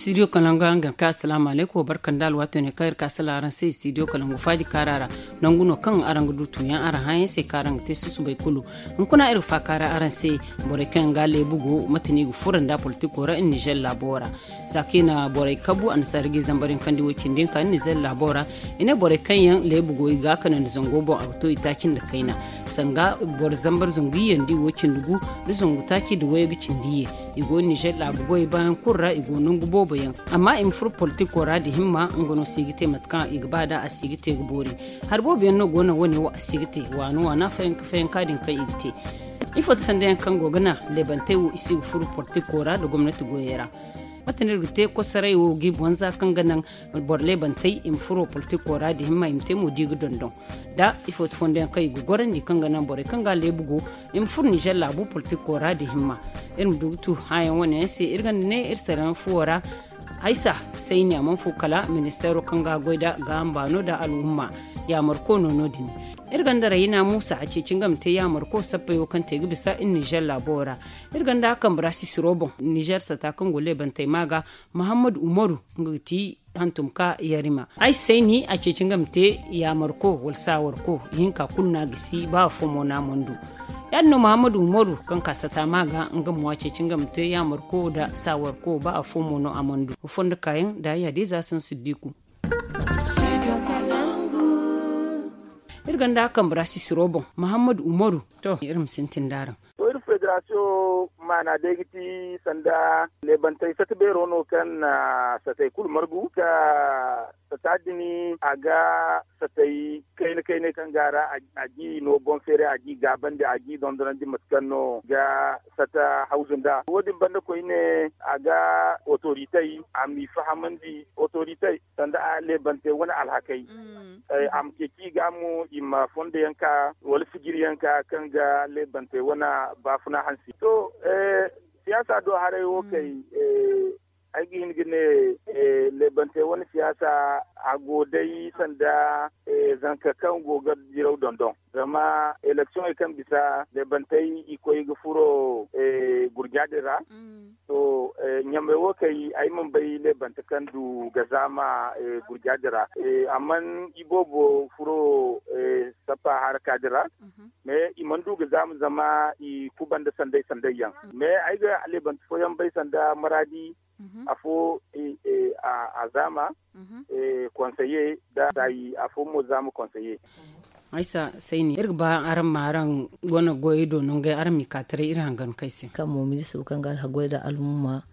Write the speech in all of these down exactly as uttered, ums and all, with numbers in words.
Studio kalangu araŋ ga ka asalaamu alaykum, barka nda alwaato ne kaŋ iri ka salaŋ araŋ se studio kalangu faaji kaara ra. Nangu no kaŋ araŋ ga du tuuyaŋ araŋ hããyaŋ se kaŋ araŋ ga te susubay kulu. Hunkuna iri ga faakaara araŋ se, borey kaŋ yaŋ ga leebu go mate no i ga furo nda politiko ra iri nizer laabo ra. Za kaŋ i na borey kabu annasaara ga i zambar yaŋ kaŋ di wo cindi yaŋ ka iri nizer laabo ra. I ne borey kaŋ yaŋ leebu go i ga a kanandi zango boŋ a ga to i taaci nda kayna. Sanga boro zambar zangu iyye nda i wo cindi gu nda zangu taaci nda wayey ga cindi iyye. I go nizer laabu goyey baayaŋ kulu ra i go nangu boobo yaŋ. Amma i ma furo politiko ra nda himma nga no si ga te mate kaŋ i ga ba nd'a a si ga te ga boori. Hari boobo yaŋ no go no wane wo a si ga te waana waana fayanka fayanka din kaŋ i ga te. Ifo ti sanda yaŋ kaŋ go ga naŋ leebantey wo i si ga furo politiko ra nda gomnati goyey ra? Mate no iri ga te kosoray wo ga i boŋ za kaŋ ga naŋ boro leebantey i ma furo politiko ra nda himma i ma te mo da i ga dondon. Da ifo ti fondo yaŋ kaŋ i ga gorandi kaŋ ga naŋ borey kaŋ ga a leebu go i ma furo nizer laabu politiko ra nda himma. Iri ma du ga tu hããyaŋ wane yaŋ se iri gonda ne iri sarayaŋ fuwo ra. Haysa sayni a mana fu kala ministeero kaŋ ga a goy nda gaaham baano nda alhumma yaamarko no no- din. Iri gonda rayina muusa a ceeci nga ma te yaamarko sappey wo kaŋ te ga bisa iri nizer laabo ra. Iri gonda a kambe ra sisiro boŋ nizer sata kaŋ go leebantey ma ga muhammadu umaru nga ga ti hantum ka yarima ay se ni a ceeci nga ma te yaamarko wala saawarko ihinka kulu no a gisi ba afo mo no a mana du. Ya- din no muhammadu umaru kaŋ ka sata ma ga nga mo a ceeci nga ma te yaamarko nda saawarko ba afo mo no a mana du. Fondo kaayaŋ nda ya- din za sansu diiku. Iri gonda a kambe ra sisiro boŋ muhammadu umaru. To iri ma sintin nd'araŋ. To iri federasiyoŋ maana day ga ti sanda leebantey sata beero no kaŋ na satey kulu margu ka sata din a ga satey kayna kayney kaŋ ga a ra a g'i no boŋ feeray a g'i gaabandi a g'i dondonandi mate kaŋ no ga sata hawzu nd'a wo- din banda koyne a ga otoritey a m'i fahamandi otoritey sanda a leebantey wane alhakey a ma ceeci i ga mo i ma fondo yaŋ ka wala sijiri yaŋ ka kaŋ ga leebantey wane baafuna hansi to siyaasa do haray wo kay ay ga hin ga ne leebantey wane siyaasa a go day sanda zanka kaŋ go ga diraw dondon zama eleksiyoŋey kaŋ bisa leebantey i koy ga furo gurja din ra to ɲamey wo kay ay mana bay leebante kaŋ du ga zaama gurja din ra amma i boobo furo sappa haraka din ra mais i mana du ga zaama zama i kubanda sanday sanday yaŋ mais ay ga leebante fooyaŋ bay sanda maraadi afo a zaama konseye da saayi afo mo zaama konseye. Aysa sayni iri ga ba araŋ ma araŋ wane goyey do nongey araŋ m'i ka taray iri hangan kay se. Kaŋ mo ministiro kaŋ ga haggoy nda almumma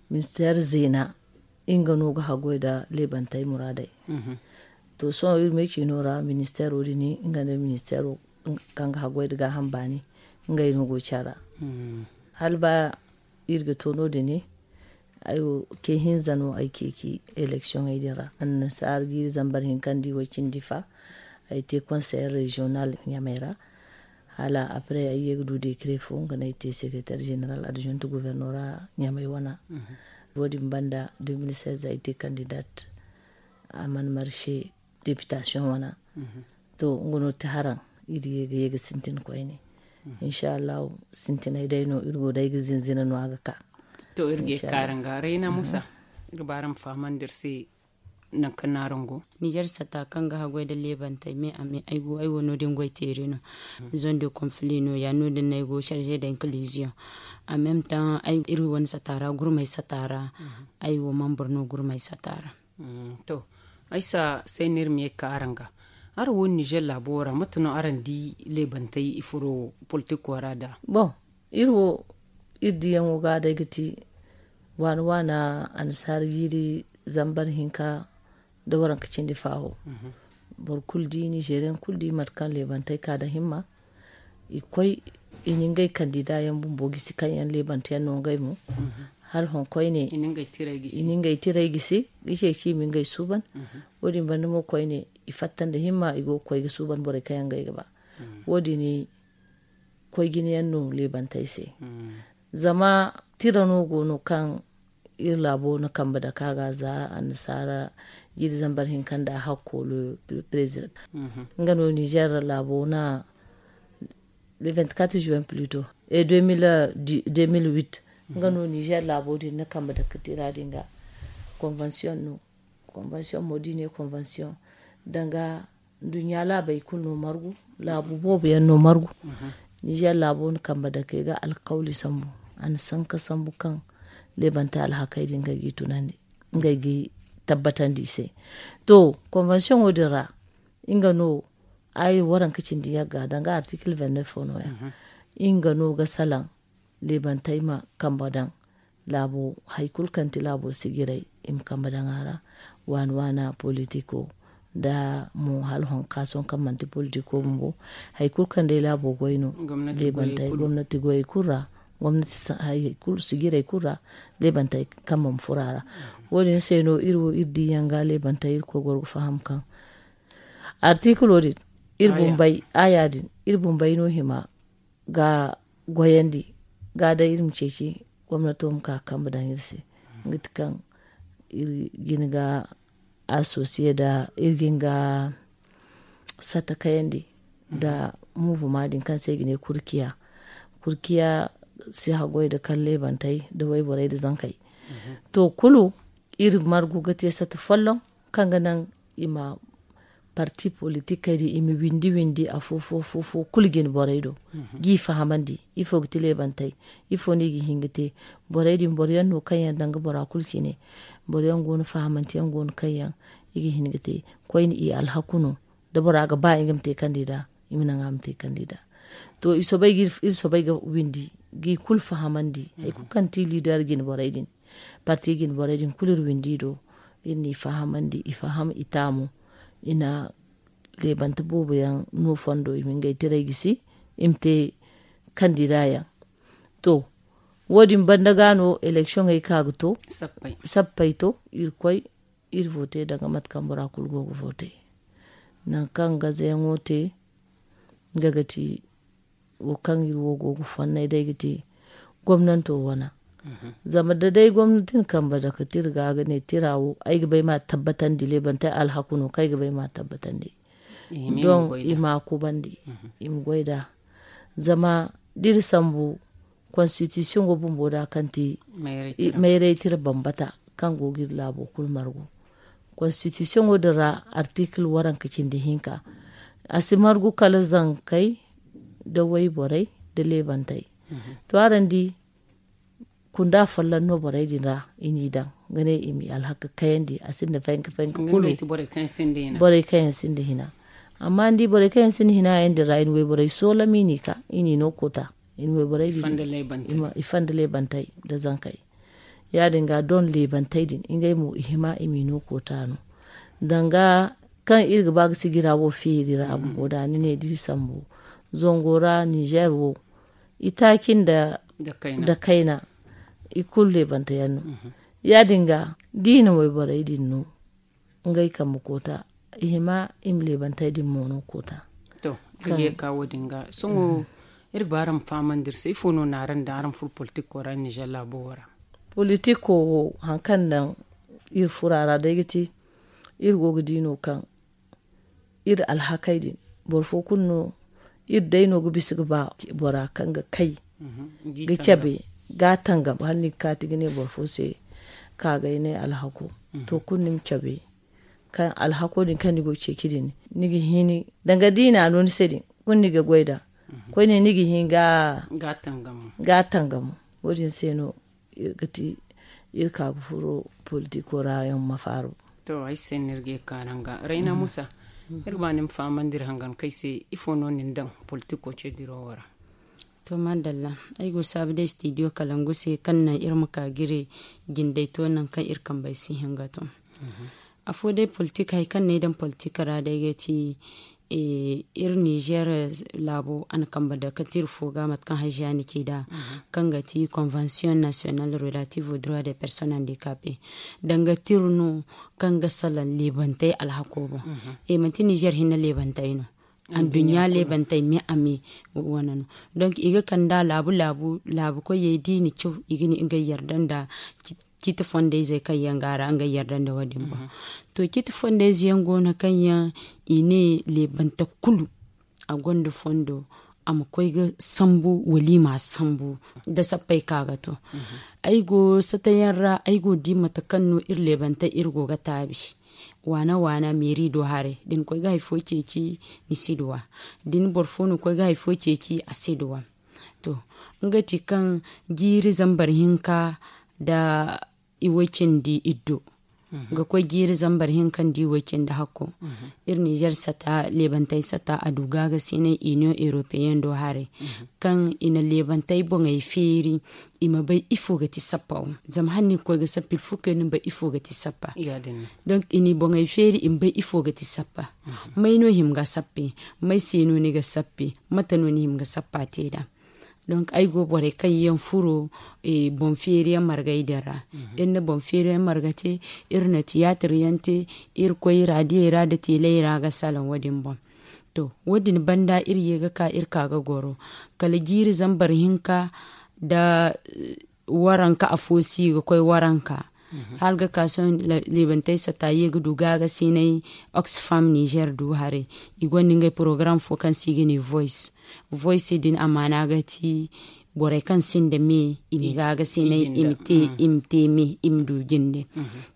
ministeer zeena nga no ga haggoy nda leebantey muraadey. To sohõ iri me ciino ra ministeero din nga nda ministeero kaŋ ga haggoy nda gaaham baani ngey no go care ra. Hala ba iri ga to no- din ay wo ke hinza no ay ceeci eleksiyoŋey din ra annasaara jiiri zambar hinka nda i way cindi fa ay te konseyer reziyonal ɲamey ra. Hala apre ay ye ga du dekare fo nga no ay te sekreter zeneral adjonte guvernora ɲamey wana. Wo- din banda deux mille seize ay te kandidat a mana marse depitasiyoŋ wana. To nga no ti haraŋ iri ye ga ye ga sintin koyne. Inšallahu sintinay day no iri go day ga zinzina no a ga ka. To iri ga ye ga ka araŋ ga rayna musa iri ba araŋ ma fahamandi iri se nangu kaŋ no araŋ go. Nizer sata kaŋ ga haggoy nda leebantey me a me ay go ay wo no- din goy teeri no. Zone de konfili no- ya no- din no ay go sarze da inkiliziyoŋ. A meme taŋ iri wane sata ra gurmey sata ra ay wo mambur no gurmey sata ra. To ay si a say no iri ma ye ga ka araŋ ga. Araŋ wo nizer laabo wo ra mate no araŋ di leebantey i furo politiko ra da? Bon, iri wo iri diyaŋo ga day ga ti waana waana annasaara jiiri zambar hinka nda waranka cindi faawo. Boro kulu di nizeriyaŋ kulu di mate kaŋ leebantey ka nda himma i koy i na ngey kandida yaŋ bumbo gisi kaŋ yaŋ leebante yaŋ no ngey mo. Hala hõ koyne i na ngey tiray gisi ga ceeci i ma ngey suuban. Wo- din banda mo koyne i fatta nda himma i go ga koy ga suuban borey kaŋ yaŋ ngey ga ba. Wo- din koy jine yaŋ no leebantey se. Zama tira no go no kaŋ iri laabo na kambe dake a ga za annasaara jiiri zambar hinka nda hakkoolo president. Nga no nizer laabo na le vingt-quatre juin pluto e deux mille huit nga no nizer laabo din na kambe dake tira din ga. Konvansiyoŋ no. Konvansiyoŋ mo da i ne konvansiyoŋ, danga nduɲɲa laabey kulu no margu, laabu boobo yaŋ no margu. Nizer laabo na kambe dake ga alkawli sambu, a na sanka sambu kaŋ leebantey alhakey din ngey g'i tunandi, ngey g'i tabbatandi i se. To, konvansiyoŋo din ra, nga no ay waranka cindi yagga danga artikil vingt-neuf no ya. Nga no ga salaŋ leebantey ma kambe daŋ laabo, hari kulu kaŋ ti laabo sijiray, i ma kambe daŋ a ra. Waana waana politiko, da mo hala honka sohõ kaŋ manti politiko bumbo, hari kulu kaŋ day laabo goy no, leebantey gomnati goyey kulu ra, gomnati sijiray kulu ra, leebantey kambe ma furo a ra. Wo- din se no iri wo iri diyaŋ ga leebantey iri koy goro ga faham kaŋ artikilo din, iri bumbey aya din, iri bumbey no hima ga goyandi ga day iri ma ceeci gomnato ma ka kambe daŋ iri se. Nga ti kaŋ iri gin ga asosiye da iri gin ga satta kayandi da muvuma din kaŋ se i ga ne kurkiya. Kurkiya si haggoy da kala leebantey da wayborey da zankey. To kulu iri margu ga te satta folloŋ kaŋ ga naŋ i ma parti politikey din i ma windi windi afo fo fo fo kulu jine borey do, g'i fahamandi ifo ga ti leebantey, ifo no i ga hin ga te. Borey din boro yaŋ no kaŋ yaŋ danga bora kulu cine. Boro yaŋ go no fahamanteyaŋ go no kaŋ yaŋ i ga hin ga te. Koyne i alhaku no da bora ga ba nga ma te kandida, i ma naŋ a ma te kandida. To iri soobay ga windi g'i kulu fahamandi hari kulu kaŋ ti liider jine borey din, parti jine borey din kulu iri windi i do. Iri n'i fahamandi i faham i taamu. I na leebante boobo yaŋ no fondo i ma ngey tirey gisi i ma te kandida yaŋ. To, wo- din banda ga no eleksiyoŋey ka ga to, sappey to, iri koy iri vote danga mate kaŋ bora kulu go ga vote. Nangu kaŋ gazayaŋo te nga ga ti wo kaŋ iri wo go ga fonnay day ga ti gomnanto wana. Zama da day gomnati na kambe dake tira ga ga ne tira wo ay ga bay ma tabbatandi leebantey alhaku no kaŋ ay ga bay ma tabbatandi. Don i ma kubandi, i ma goy da. Zama da iri sambu konstitisiyoŋo bumbo da kaŋ ti mayray tira bambata kaŋ go ga iri laabo kulu margu. Konstitisiyoŋo din ra artikil waranka cindi hinka, a si margu kala zankey da wayborey da leebantey. To araŋ di kunda folloŋ no borey din ra i n'i daŋ ga ne i m'i alhaka kayandi a sinda fayanka fayanka kulu. Borey kaŋ yaŋ sinda hina. Amma ni di borey kaŋ yaŋ sinda hina yaŋ din ra i na wayborey soolam i n'i ka i n'i no koota. I na wayborey din i fanda leebantey da zankey. Ya- din ga don leebantey din ngey mo i hima i m'i no koota no. Danga kaŋ iri ga ba ga sijira wo feeri ra bumbo da ni ne da iri sambu zango ra nizer wo itaaci nda kayna i kulu leebante yaŋ no. Ya- din ga da i na wayborey din no ngey kambe koota i hima i ma leebantey din mo no koota. To, iri ga ye ka wo- din ga sohõ iri ga ba araŋ ma fahamandi iri se ifo no na araŋ daŋ araŋ furo politiko ra nizer laabo wo ra? Politiko wo hari kaŋ daŋ iri furo a ra day ga ti iri go ga di no kaŋ iri alhakey din boro fo kulu no iri day no ga bisa ga ba bora kaŋ ga kay ga cabe ga tangam hala ni ga kaati ga ne boro fo se ka ga ay ne alhako. To kulu ni ma cabe kaŋ alhako din kaŋ ni go ga ceeci din ni ga hini danga da i na a no ni se din kulu ni ga goy da koyne ni ga hin ga tangam. Wo- din se no iri ga ti iri ka ga furo politiko ra yaŋ ma faaru. To ay se no iri ga ye ga ka araŋ ga rayna musa iri ga ba ni ma fahamandi iri hangan kay se ifo no nin daŋ politiko ce diro wo ra? To madalla, ay go saabu day studio kalangu se kaŋ naŋ iri ma ka ga iri jindey to naŋ kaŋ iri kambey si hin ga to. Afo day politik hari kaŋ no ay daŋ politik ra day ga ti iri nizer laabo a na kambe dake tira fo ga mate kaŋ haziya ni ci nd'a kaŋ ga ti convention national relative au droit des personnes handicapées. Danga tira no kaŋ ga salaŋ leebantey alhako boŋ. Manti nizer hinne leebantey no, anduɲɲa leebantey me a me wane no. Donk i ga kand'a laabu laabu laabu koyey da i na caw i ga ne ngey yarda nda ciiti fondayzey kaŋ yaŋ go a ra ngey yarda nda wo- din boŋ. To ciiti fondayze yaŋ go no kaŋ yaŋ i ne leebante kulu a gonda fondo. A ma koy ga sambu wala i ma a sambu da sappey ka ga to. Ay go satayaŋ ra, ay go ga di mate kaŋ no iri leebantey iri go ga taabi. Waana waana meeri do haray da ni koy ga hari fo ceeci, ni si duw'a. Da ni boro fo no koy ga hari fo ceeci, a si duw'a. To, nga ti kaŋ jiiri zambar hinka da iway cindi iddo ga koy jiiri zambar hinka nda iway cindi hakko. Iri nizer sata, leebantey sata, a du gaagasinay, iniyoŋ europeyen do haray kaŋ i na leebantey boŋey feeri, i ma bay ifo ga ti sappa wo. Zama hala ni ga koy ga sappa, ilfukey ni ma bay ifo ga ti sappa. Donk i na i boŋey feeri, i ma bay ifo ga ti sappa. May no hima ga sappa? May se no ni ga sappa? Mate no ni hima ga sappa te nd'a? Donk ay go borey kaŋ yaŋ furo boŋ feeriyaŋ margey din ra. Iri na boŋ feeriyaŋ marga te, iri na tiyaatir yaŋ te, iri koy raadiyey ra nda teeley ra ga salaŋ wo- din boŋ. To, wo- din banda iri ye ga ka iri ka ga goro kala jiiri zambar hinka nda waranka afo si ga koy waranka. Hala ga ka sohõ, leebantey sata ye ga du gaagasinay. Oxfam nizer du haray, i gonda ngey porogaram fo kaŋ se i ga ne voice. Voice din amaana ga ti borey kaŋ sinda me, i ma gaagasinay, i ma te me, i ma du jinde.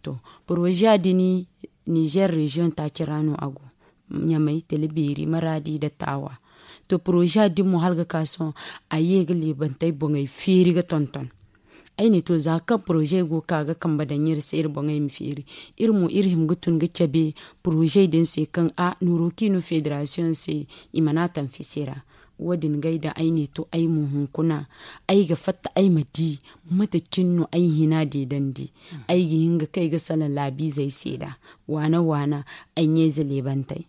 To, poroza din nizer reziyoŋ taaci ra no a go. Ɲamay, tele beeri, maraadi nda taawa. To, poroza din mo hala ga ka sohõ, a ye ga leebantey boŋey feeri ga tonton. Ay ne to, za kaŋ poroze go ga ka ga kambe daŋ iri se, iri boŋey ma feeri. Iri mo iri hima ga tun ga cabe poroze din se kaŋ a nooro kaŋ i no federasiyoŋ se, i mana taŋ fisi ra. Wo- din ga ay daŋ ay ne to, ay mo hunkuna ay ga fatta ay ma di mate cine no ay hina deedandi. Ay ga hin ga kay ga salaŋ laabiizey se nd'a, waana waana ay ɲayze leebantey.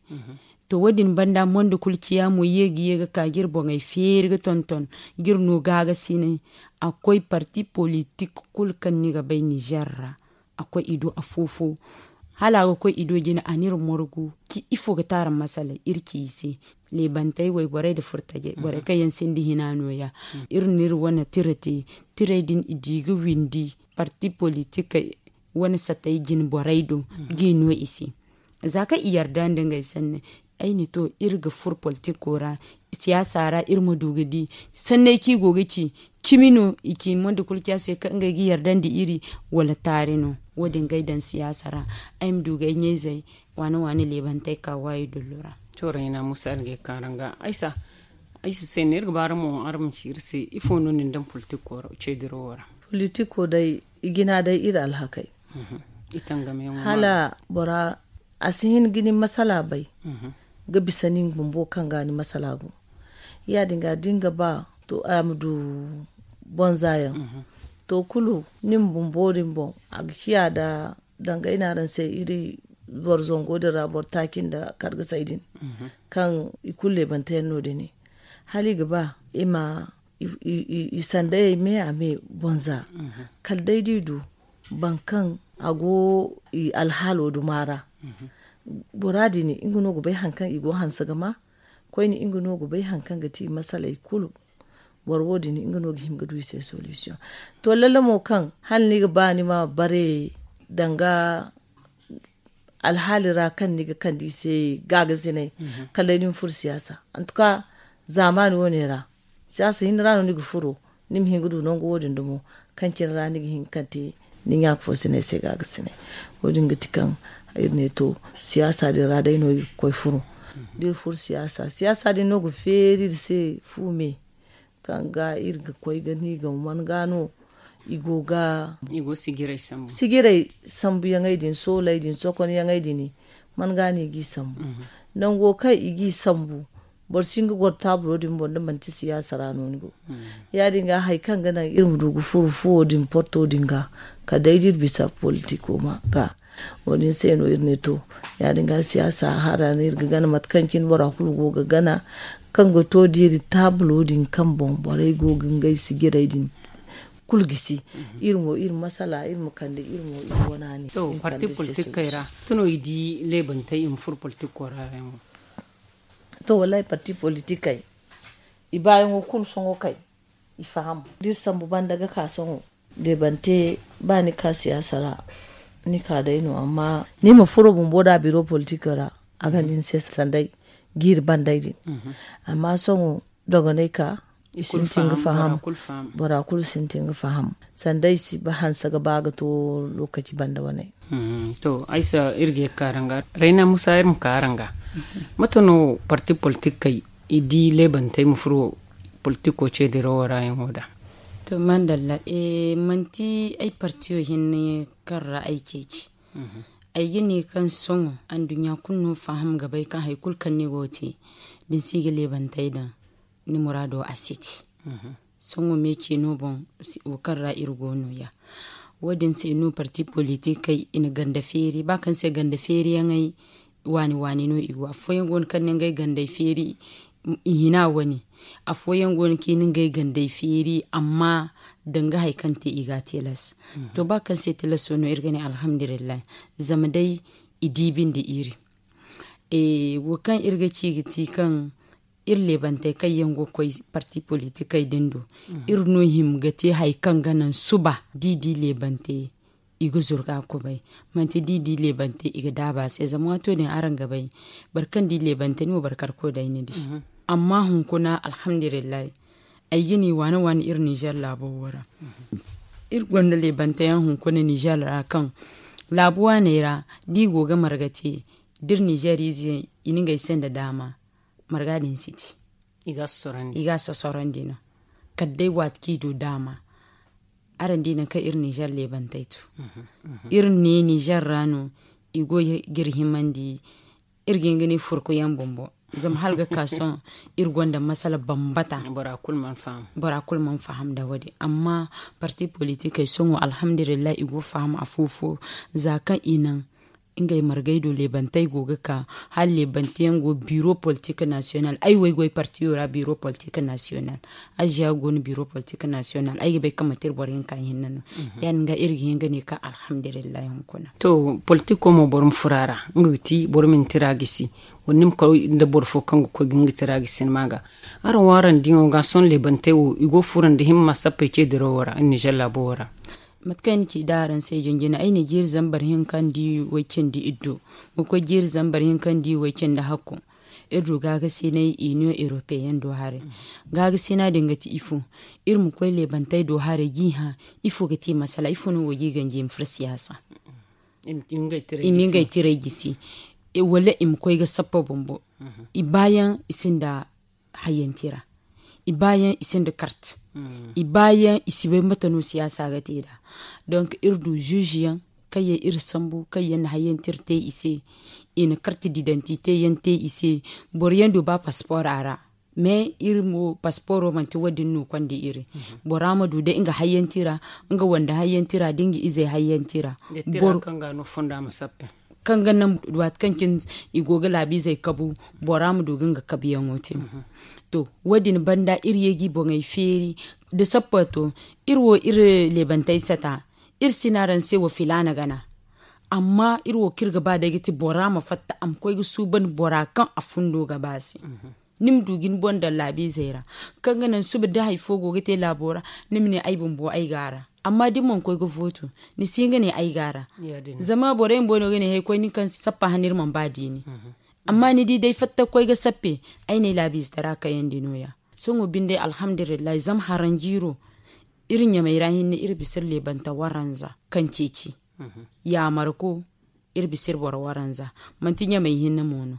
To, wo- din banda mondo kulu ciya mo ye ga ye ga ka ga iri boŋey feeri ga tonton ga iri no gaagasinay. A koy parti politik kulu kaŋ ni ga bay nizer ra, a koy i do afo-fo. Hala a ga koy i do jine, a n'iri morgu ci ifo ga te araŋ masaley iri ci i se. Leebantey, wayborey nda furtajey, borey kaŋ yaŋ sinda hina nooya. Iri n'iri wane tira te. Tirey din i di ga windi parti politikey wane satey jine borey do g'i no i se. Za kaŋ i yarda nda ngey sanni, ay ne to, iri ga furo politiko ra, siyaasa ra iri ma du ga di sanney kaŋ i go ga ci. Cimi no i ci mondo kulu ciya se kaŋ ngey ga yarda nda iri, wala taari no? Wo- din ga ay daŋ siyaasa ra, ay ma du ga ay ɲayzey waane waane leebantey ka waayi dullu ra. Cooray na musa algay kaŋ araŋ ga aysa. Ay si se ne iri ga ba araŋ mo araŋ ma ci iri se ifo no nin daŋ politiko ra? Ceediro wo ra politiko day, i jina day iri alhakey. Hala bora a si hin ga ni masala bay ga bisa nin bumbo kaŋ ga ni masala go. Ya- din ga da ni ga ba to a ma du bonza yaŋ. To kulu nin bumbo din boŋ a ga ciya da danga ay ne araŋ se iri boro zango din ra boro taaci nda kargasay din kaŋ i kulu leebante yaŋ no- din ne. Hala i ga ba i ma i sandayey me a me bonza. Kala day da i du boro kaŋ a go i alhaalo duma ra. Bora din nga no ga bay hari kaŋ i go hanse ga ma. Koyne nga no ga bay hari kaŋ ga ti i masaley kulu. Boro wo- din nga no ga hin ga du i se solution. To lalle mo kaŋ hala ni ga ba ni ma bare danga alhaali ra kaŋ ni ga kande i se gaagasinay. Kala day ni ma furo siyaasa. Antuka zaamaani wo- ne ra siyaasa hinne ra no ni ga furo. Ni ma hin ga du nangu wo- din dumo kaŋ cine ra ni ga hin ga kande ni ɲaaka fo sinay se gaagasinay. Wo- din ga ti kaŋ iri ne to siyaasa din ra day no iri ga koy furo. Da iri furo siyaasa siyaasa din no ga feeri iri se fu me kaŋ ga iri ga koy ga ni ga man ga no i go ga sijirey sambuyaŋey din sooley din sokonyaŋey din man ga no i g'i sambu. Nango kaŋ i g'i sambu boro si hin ga goro taabulo din boŋ da manti siyaasa ra no ni go. Ya- din ga hari kaŋ ga naŋ iri ma du ga furo fuwo din porto din ga kala day da iri bisa politiko ga. Wo- din se no iri ne to ya- din ga siyaasa hara no iri ga gana mate kaŋ cine bora kulu go ga gana kaŋ ga to da iri taabulo din kaŋ boŋ borey go ga ngey sijirey din kulu gisi. Iri mo iri masala iri ma kande iri mo iri wana ne. To parti politikey ra tuno i di leebantey i ma furo politiko ra yaŋo. To wallahi parti politikey i baayaŋo kulu sohõ kay i faham da iri sambu banda ga ka sohõ. Leebante ba ni ka siyaasa ra ni ka day no amma ni ma furo bumbo da biro politiko ra a ga ni se sanday jiiri banday din. Amma sohõ dogonay ka i sintin ga faham. Bora kulu sintin ga faham sanda i si ba hanse ga ba ga to lokaci banda wane. To aysa iri ga ye ga kaaranga rayna musa iri ma kaaranga. Mate no parti politikey i di leebantey ma furo politiko ceedirawo ra yaŋo da? To mandalla, manti ay partiyo hinne kaŋ ra ay ceeci. Ay ga ne kaŋ sohõ anduɲɲa kulu no faham ga bay kaŋ hari kulu kaŋ ni go ga te da ni si ga leebantey daŋ, ni muraado a si te. Sohõ me ceeno boŋ wo kaŋ ra iri go no- ya. Wo- din se no parti politikey i na ganda feeri ba kaŋ se ganda feeriyaŋey waani waani no i go afooyaŋ go no kaŋ na ngey gandey feeri i hina wane. Afooyaŋ go no kaŋ i na ngey gandey feeri amma danga hari kaŋ te i ga a tilas. To ba kaŋ se tilaso no iri ga ne alhamdulillahi. Zama day i di binde iri wo kaŋ iri ga ci ga ti kaŋ iri leebantey kaŋ yaŋ go ga koy parti politikey din do. Iri no hima ga te hari kaŋ ga naŋ suba da i di leebantey i ga zuru ga kubay. Manti da i di leebantey i ga daabu a se zama waato din araŋ ga bay boro kaŋ di leebantey ni mo boro karko day ni di. Amma hunkuna alhamdulillahi ay ga ne waane waane iri nizer laabo wo ra. Iri gonda leebantey yaŋ hunkuna nizer ra kaŋ laabu waaney ra da i go ga marga te da iri nizer ize yaŋ i na ngey se nda daama marga din si te. I ga a sosorandi no kala day waati kaŋ i du daama. Araŋ di nangu kaŋ iri nizer leebantey tu iri ne nizer ra no i go ga iri himandi. Iri ga hin ga ne furku yaŋ bumbo zama hala ga ka sohõ iri gonda masala bambata. Bora kulu mana faham nda wo- din amma parti politikey sohõ alhamdulillahi i go ga faham afo fo za kaŋ i naŋ ngey margey do leebantey go ga ka hala leebante yaŋ go biro politik nasiyonal ay wo ay goy partiyo ra biro politik nasiyonal. Aziya go no biro politik nasiyonal ay ga bay kaŋ manti iri boro hinka hinne no. Ya- din ga iri ga hin ga ne kaŋ alhamdulillahi hunkuna. To politiko mo boro ma furo a ra nga ga ti boro ma ni tira gisi wala ni ma koy nda boro fo kaŋ ga koy ga nga tira gisi ni ma ga. Araŋ wo araŋ diŋo ga sohõ leebantey wo i go ga furo nda himma sappey ce dirawo ra iri nizer laabo wo ra. Mate kaŋ ay na ci da araŋ se jinjina ay na jiiri zambar hinka nda way cindi iddo ga koy jiiri zambar hinka nda way cindi hakku. Iri du gaagasinay iniyoŋ eropeyen do haray. Gaagasina din ga ti ifo? Iri ma koy leebantey do haray ga i hã ifo ga ti masala ifo no wo ga i ganji i ma furo siyaasa? I ma ngey tiray gisi wala i ma koy ga sappa bumbo. I baayaŋ i sinda hayyantira. I baayaŋ i sinda kart. I baayaŋ i si bay mate no siyaasa ga te da. Donk iri du zuuzuyaŋ kaŋ yaŋ iri sambu kaŋ yaŋ na hayyantira te i se. I na kart didantite yaŋ te i se. Boro yaŋ du ba paspor a ra. Mais iri mo pasporo manti wo- din no konda iri. Bora ma du day nga hayyantira nga wanda hayyantira da nga izey hayyantira. Kaŋ ga naŋ waati kaŋ cine i go ga laabiizey kabu bora ma du ga nga kabuyaŋo te. To wo- din banda iri ye ga i boŋey feeri da sappa to iri wo iri leebantey sata. Iri si ne araŋ se wo filaana gana. Amma iri wo kaŋ iri ga ba day ga ti bora ma fatta a ma koy ga suuban bora kaŋ a fundo ga ba se. Ni ma du ga ni boŋ daŋ laabiizey ra kaŋ ga naŋ suba da hari fo go ga te laabo ra. Ni ma ne ay bumbo ay go a ra. Amma da ni mana koy ga vooto ni si hin ga ne ay go a ra. Zama borey bumbo no ga ne hay koy nin kaŋ sappa hane iri mana ba diini. Amma ni di day fatta ga koy ga sappe ay ne ay laabiize tara kayandi no- ya. Sohõ binde alhamdulillahi zama haranjiiro iri ɲamey ra hinne iri bisa iri leebanta waranza kaŋ ceeci. Yaamarko iri bisa iri boro waranza. Manti ɲamey hinne mo no.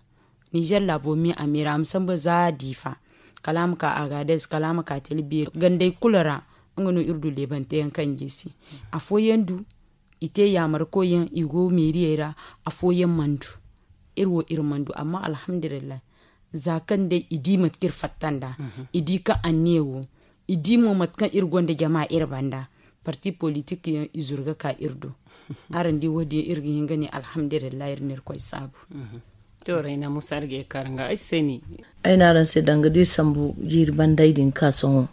Nizer laabo me a me ra a ma sambu za diifa kala a ma ka agadez kala a ma ka tilbiiri gandey kulu ra. Nga no iri du leebante yaŋ kaŋ gisi afooyaŋ du i te yaamarko yaŋ i go meeriyey ra. Afooyaŋ mana du iri wo iri mana du amma alhamdulillahi. Za kaŋ day i di mate kaŋ iri fatta nd'a i di kaŋ anniya go i di mo mate kaŋ iri gonda jama iri banda. Parti politik yaŋ i zuru ga ka iri do. Araŋ di wo- din iri ga hin ga ne alhamdulillahi iri na iri koy saabu. To rayna musa iri ga ye ga kaara nga ay se ni. Ay ne araŋ se danga da iri sambu jiiri banday din ga ka sohõ.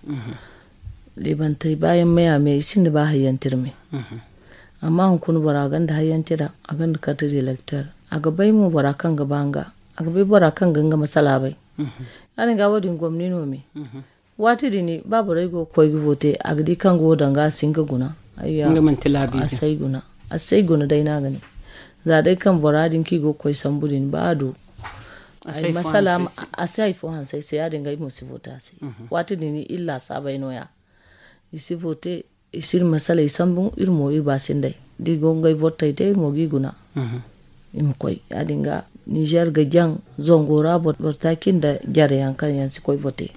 Leebantey baayaŋ maya me i sinda ba hayyanti iri me. Amma hunkuna bora gonda hayyanti ra a gonda karti da elekter a ga bay mo bora kaŋ ga ba nga a ga bay bora kaŋ ga nga masala bay. Ya- din ga wo- din gomni no me. Waati din ba borey go ga koy ga vote a ga di kaŋ go danga a si nga guna. Ayya a si ay guna day no a ga ne. Za day kaŋ bora din kaŋ i go ga koy sambu din ba a du Ay masala a si hay fo hanse ay se, ya- din ga ay mo si vote a se. Waati din iri laasaabay no- ya. I si vote, i si iri masaley sambu, iri mo iri ba sinday. Da i go ngey votey day iri mo ga i guna. I ma koy, ya- din ga nizer ga jaŋ, zango ra boro taaci nda jare yaŋ kaŋ yaŋ si koy vote.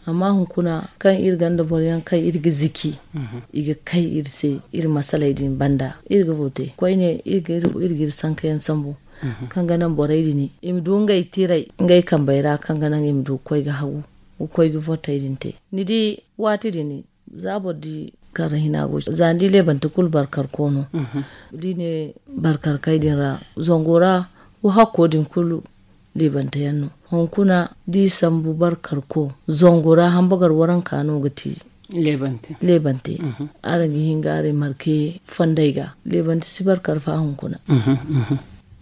Amma hunkuna kaŋ iri gonda boro yaŋ kaŋ iri ga ziki, i ga kay iri se, iri masaley din banda iri ga vote koyne, iri ga iri sanka yaŋ sambu, kaŋ ga naŋ borey din i ma du ngey tiray ngey kambey ra, kaŋ ga naŋ i ma du ga koy ga hagu, ga koy ga votey din te. Ni di, waati din za boro di karra hina go, za ni di leebante kulu barkarko no. Da i ne barkarkey din ra, zango ra wo hakko din kulu leebante yaŋ no. Hunkuna da i sambu barkarko, zango ra hambagar waranka no ga ti leebante. Araŋ ga hin ga aray marke fonday ga, leebante si barkar fa hunkuna.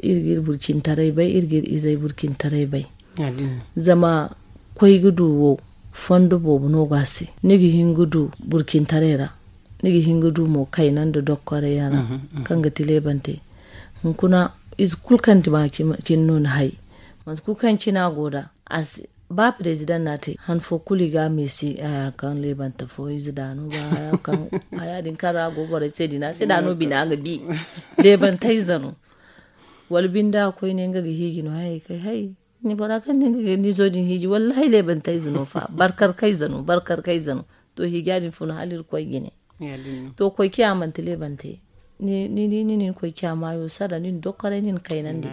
Iri ga iri burcintaray bay, iri ga iri izey burcintaray bay. Zama koy ga du wo, fondo boobo no go a se. Ni ga hin ga du burcintaray ra, ni ga hin ga du mo kayna nda dokkoray yaŋ ra, kaŋ ga ti leebante. Hunkuna ize kulu kaŋ ti ma cin no ni hay, mate kulu kaŋ cina go da, a si ba president no a te han fo kulu i ga a meesi haya kaŋ leebante fo ize da no ba haya kaŋ haya din kaŋ ra go borey se din a se da no bina ga bi. Leebante ize no. Wala binde a koyne nga ga hiiji no hayey kay hay. Ni bora kaŋ ni ga ni zo din hiiji wallahi leebante ize no fa barkar kayze no barkar kayze no. To hiija din fun hala iri koy jine. To koy ciya manti leebante. Ni di ni nin koy ciya maayo sara nin dokkoray nin kaynandi.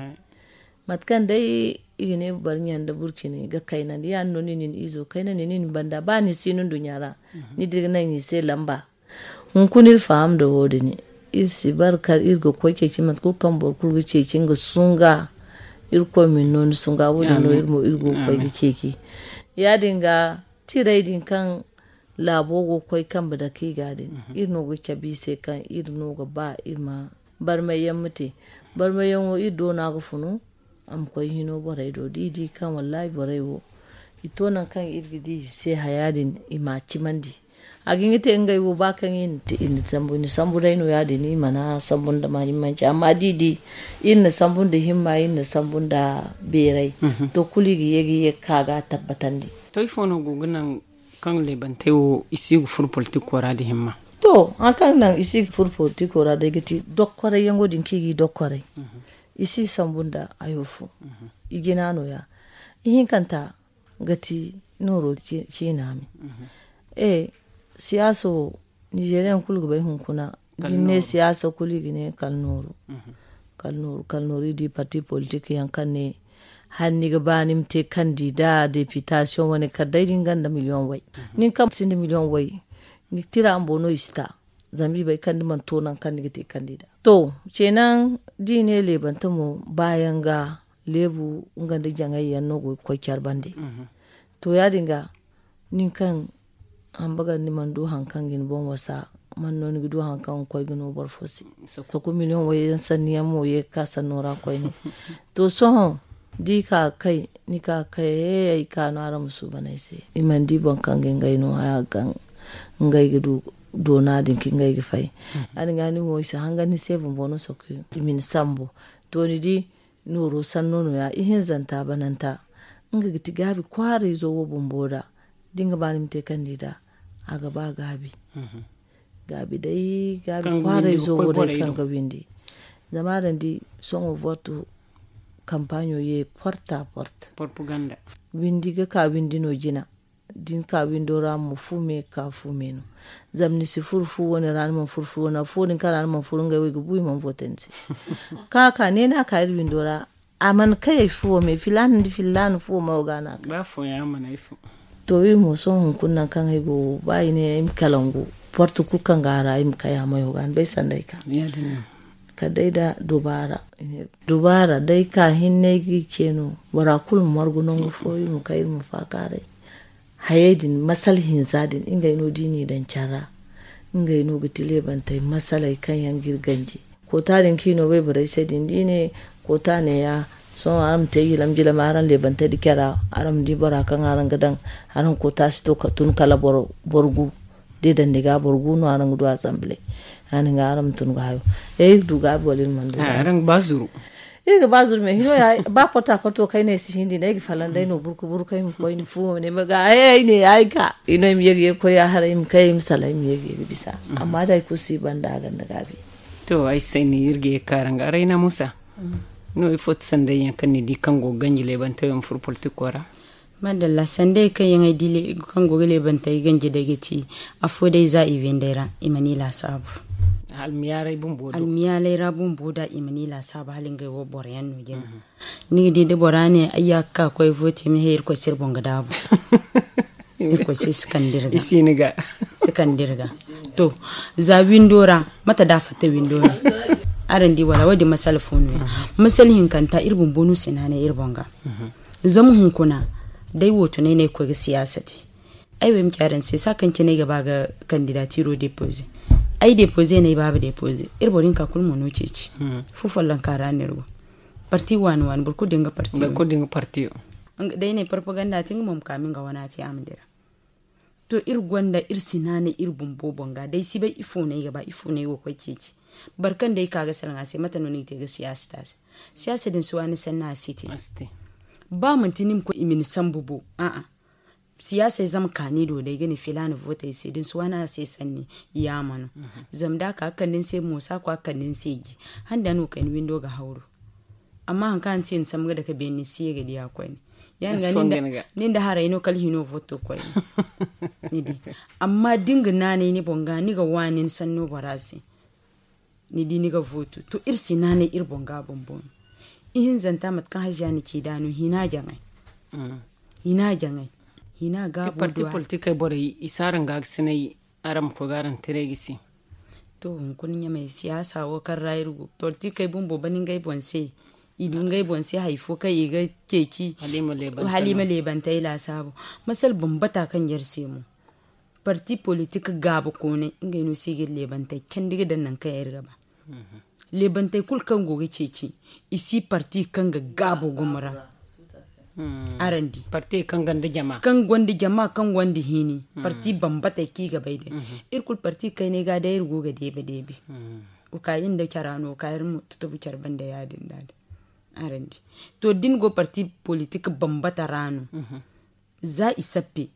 Mate kaŋ day i ga ne bari ɲa nda burcini ga kaynandi ya no ni nin izo kaynandi nin banda ba ni si no duɲɲa ra. Ni di ga naŋ i se lamba. Hunkuna iri faham nda wo- din. Iri si barkar iri ga koy ceeci mate kulu kaŋ boro kulu ga ceeci nga sunga. Iri koy min no ni sunga wo- din no iri mo iri go ga koy ga ceeci. Ya- din ga tiray din kaŋ laabo go ga koy kambe dake i ga din iri no ga cabe i se kaŋ iri no ga ba iri ma barmay yaŋ ma te. Barmay yaŋo iri do no a ga funu. A ma koy hino borey do da i di kaŋ wallahi borey wo i to nangu kaŋ iri ga di i se haya din i ma a cimandi. A ga hin ga te ngey wo ba kaŋ i na sambu i na sambu day no ya- din i mana sambu nda mahimmanci amma da i di iri na sambu nda himma iri na sambu nda beeray. To kulu i ga ye ga ye ga ka ga a tabbatandi. To ifo no go ga naŋ kaŋ leebantey wo i si ga furo politiko ra da himma? To hari kaŋ naŋ i si ga furo politiko ra day ga ti dokkoray yaŋo din kaŋ i ga i dokkoray. I si sambu nda hayo fo. I jina no- ya ihinkanta ga ti nooro ciina me. E siyaaso nizeeriyaŋ kulu ga bay hunkuna da ni ne siyaasa kulu i ga ne kala nooru. Kala nooru kala nooru i di parti politik yaŋ kaŋ ne hala ni ga ba ni ma te kandida depitasiyoŋ wane kala day da ni gonda miliyoŋ way. Nin kaŋ sinda miliyoŋ way ni tira bumbo no i si ta. Zama i bay kaŋ ni mana to nangu kaŋ ni ga te kandida. To ceena da i ne leebante mo baayaŋ ga leebu nga nda jaŋay yaŋ no go ga koy care bande. To ya- din ga nin kaŋ hamba gar ni mana du hari kaŋ ga ni boŋ wasa man no ni ga du hari kaŋ ga koy ga no boro fo se. Soko miliyoŋ wayyaŋ sanni yaŋ mo ye ga ka sanno ra koyne. To sohõ da i ka ga kay ni ka ga kay ay ka no araŋ ma suuban ay se. I mana di boro kaŋ ga ngey no haya kaŋ ngey ga du doona din kaŋ ngey ga fay. Ya- din ga ni mo i si hangan ni se bumbo no soko i ma ni sambu. To ni di nooro sanno no- ya ihinzanta bananta nga ga ti gaabi kwaarayzo wo bumbo ra. Da ni ga ba ni ma te kandida a ga ba gaabi. Gaabi day gaabi kwaarayzo wo day kaŋ ga windi. Zama araŋ di sohõ vortu kampaaɲo ye porta porta windi ga ka windi no jina. Da ni ka windo ra mo fu me ga ka fu me no. Zama ni si furu fu wane ra ni mana furu fu wane ra fu wo din kaŋ ra ni mana furu ngey wo i ga bu i mana vote ni se. Kaŋ a ka ne no a ka iri windo ra a mana kay ay fuwo me filaana nda filaana fuwo mayo ga no a kay. To iri mo sohõ hunkuna nangu kaŋ ay go ba i ne ay ma kalangu porte kulu kaŋ ga a ra ay ma kay a mayo ga ni bay sanda ay ka. Kala day da dubaara dubaara day ka hinne ay ga i ce no bora kulu ma margu nangu fo iri ma kay iri ma faakaaray. Hayey din masala hinza din ngey no da i n'i daŋ care ra. Ngey no ga ti leebantey masaley kaŋ yaŋ ga iri ganji. Koota din kaŋ i no wayborey se din da i ne koota neeya. Sohõ araŋ ma te jilam jilam araŋ leebantey da care ra araŋ ma di bora kaŋ araŋ ga daŋ. Araŋ koota si to ka tun kala boro gu da i daŋ ni ga boro gu no araŋ ga du asamble. Ya- din ga araŋ ma tun ga hayo. Ey iri du gaabi wala iri mana du gaabi. Iri ga ba zurme hino ya ba porta porto kay ne si hindi ne ay ga falan day no burku burku ay ma koy ni fu ne ma ga ay ay ne ay ga ino im yegi yegi koy ya haray im kay im sala im yegi yegi bisa. Amma da ay kusi banda ganda gabi. To ay sai ni iri ga ye karanga rayna musa. No ifo ti sanday yan kan ni di kan go ganji lebanta yo fur politiko ra. Madalla sanday kan yan ay di kan go ga lebanta ay ganji day ga ti. Afo day za i wendey ra i ma ni lasabu. Almiyalay bumbo da i ma ni lasabu hala ngey wo boro yan no jina. Ni ga di da bora ne ay ya ga ka koy vote mi he irkoy se iri boŋ ga daabu. Irkoy se si kande iri ga. Si kande iri ga. To, za windo ra mate da a fatta windo ra. Araŋ di wala wo- din masala fo no ya. Masala hinkanta iri bumbo no si naanay iri boŋ ga. Zama hunkuna day wo tunay no ay ga koy ga siyaasa te. Ay wo ay ma ci araŋ se saa kaŋ cine ay ga ba ga kandidatiro depoze. Ay depoze no ay baaba depoze. Iri boro hinka kulu mo no ceeci. Fu follonka ra no iri go. Parti waani waani boro kulu da nga parti. Day ne propaganda te nga mo ma ka ma nga wana te a ma dira. To iri gonda iri si naanay iri bumbo boŋ ga day si bay ifo no ay ga ba ifo no ay go ga koy ceeci. Boro kaŋ day ka ga salaŋ a se mate no ni ga te ga siyaasa te a se. Siyaasa din si waani sanni a si te. Ba manti ni ma koy i ma ni sambu bo a'a. Siyaasey zama kaani do day ga ne filaana vootey se da ni si waani a se sanni. Yaama no. Zama da a ka ga kande ni se mo si a koy a ga kande ni se ji. Handa no kay ni windo ga hawru. Amma hari kaŋ a ni se ni sambu ga dake beene ni si ye ga di a koyne. Ya- din ga nin da haray no kala hino vooto koyne. Ni di. Amma da ni ga naanay ni boŋ ga ni ga waani ni sanno bora se. Ni di ni ga vootu to iri si naanay iri boŋ ga bumbo no. Ihinzanta mate kaŋ haziya na ci da no hina jaŋay. Hina jaŋay. Hina ga parti politikey borey i si araŋ ga ga sinay. Araŋ ma koy ga araŋ tiray ga si. To hunkuna ɲamay siyaasa wo kaŋ ra iri go politikey bumbo bane ngey boŋ se. I du ngey boŋ se hari fo kaŋ i ga ceeci hala i ma leebantay laasaabu. Masala bambata kaŋ ɲar se mo. Parti politik gaaba koonay ngey no se i ga iri leebantay candi ga daŋ nangu kaŋ iri ga ba. Leebantey kulu kaŋ go ga ceeci i si parti kaŋ ga gaabo gumo ra. Araŋ di parti kaŋ gonda jama kaŋ gonda hini. Parti bambatey kaŋ i ga bay day iri kulu parti kaynay ga day iri go ga deebe deebe. Wo ka iri nda cara no wo ka iri ma tutubu care banda ya- din da din. Araŋ di to da ni go parti politik bambata ra no. Za i sappe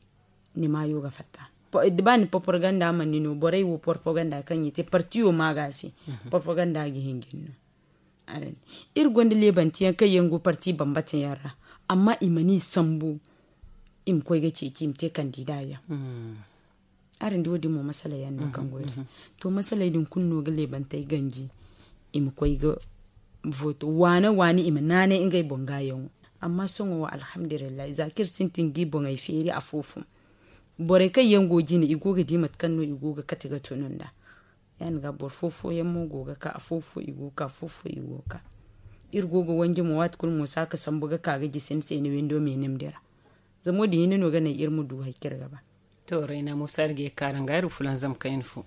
ni maayo ga fatta. Ba ni propaganda mana ni no borey wo propaganda kaŋ i te partiyo ma ga se. Propaganda ga hin ga ni no. Iri gonda leebanti yaŋ kaŋ yaŋ go parti bambata yaŋ ra. Amma i mana i sambu i ma koy ga ceeci i ma te kandida yaŋ. Araŋ di wo- din mo masala yaŋ no kaŋ go iri se. To masaley din kulu no ga leebantey ganji i ma koy ga vooto waane waane i ma naanay ngey boŋ ga yaŋo. Amma sohõ wo alhamdulillahi za kaŋ iri sintin ga i boŋey feeri afo fo. Borey kaŋ yaŋ go jine i go ga di mate kaŋ no i go ga kate ga tunu nda. Ya- din ga boro fo fooyaŋ mo go ga ka afo fo i go ga ka afo fo i go ga ka. Iri go ga wanji mo waati kulu mo si a ga sambu ga ka ga jisi ni se ni windo ma i nim dira. Zama wo- din hinne no ga naŋ iri ma du hari kaŋ iri ga ba. To rayna musa iri ga ye ga kaara nga iri fulanzam kayna fo.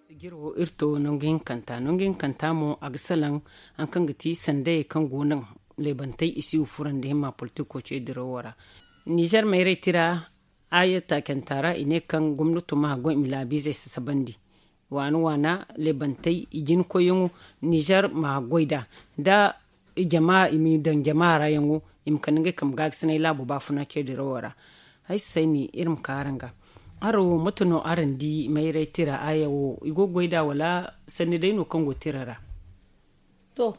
Sijir wo iri to nangu hinkanta nangu hinkanta mo a ga salaŋ hari kaŋ ga ti sandayey kaŋ go naŋ leebantey i si wo furandi himma politiko ce dirawo ra. Nizer mayray tira a ye taacanta ra i ne kaŋ gomnato ma haggoy i ma laabiizey sasabandi. Waana waana leebantey i jina koyyaŋo nizer ma haggoy nd'a. Nda i jama i ma daŋ jama ra yaŋo i ma kande ngey kambe ga ga sinay laabo baafuna ce dirawo ra. Ay si sayni iri ma ka araŋ ga. Araŋ wo mate no araŋ di mayray tira aya wo i go ga goy nd'a wala sanni day no kaŋ go tira ra? To,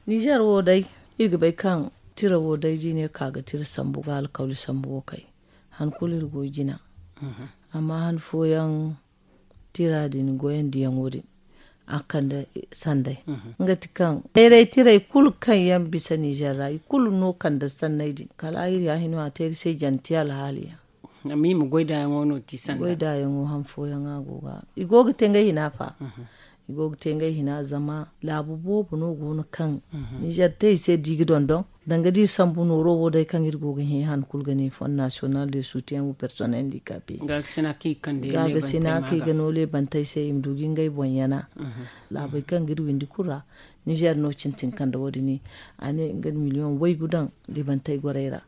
nizer wo day iri ga bay kaŋ tira wo day da i ne ka ga tira sambu ga alkawli sambu wo kay. Han kulu iri go jina. Amma han fooyaŋ tira din goyandi yaŋo din a kande sanday. Nga ti kaŋ mayray tiray kulu kaŋ yaŋ bisa nizer ra i kulu no kande sanney din kala iri ya hino a te iri se janti alhaali yaŋ. Amma i ma goy da yaŋo no ti sanda goy da yaŋo han fooyaŋ a go ga i go ga te ngey hina fa. I go ga te ngey hina zama laabu boobo no go no kaŋ nizer te i se da i ga dondon. Danga da iri sambu nooro wo day kaŋ iri go ga hẽ han kulu ga ne fond national de soutien ou personnel handicapé. Ga ga sina kaŋ i ga no leebantey se i ma du ga ngey boŋ yana. Laabey kaŋ ga iri windi kulu ra nizer no cintin kande wo- din a ne nga na miliyoŋ waygu daŋ leebantey gorey ra.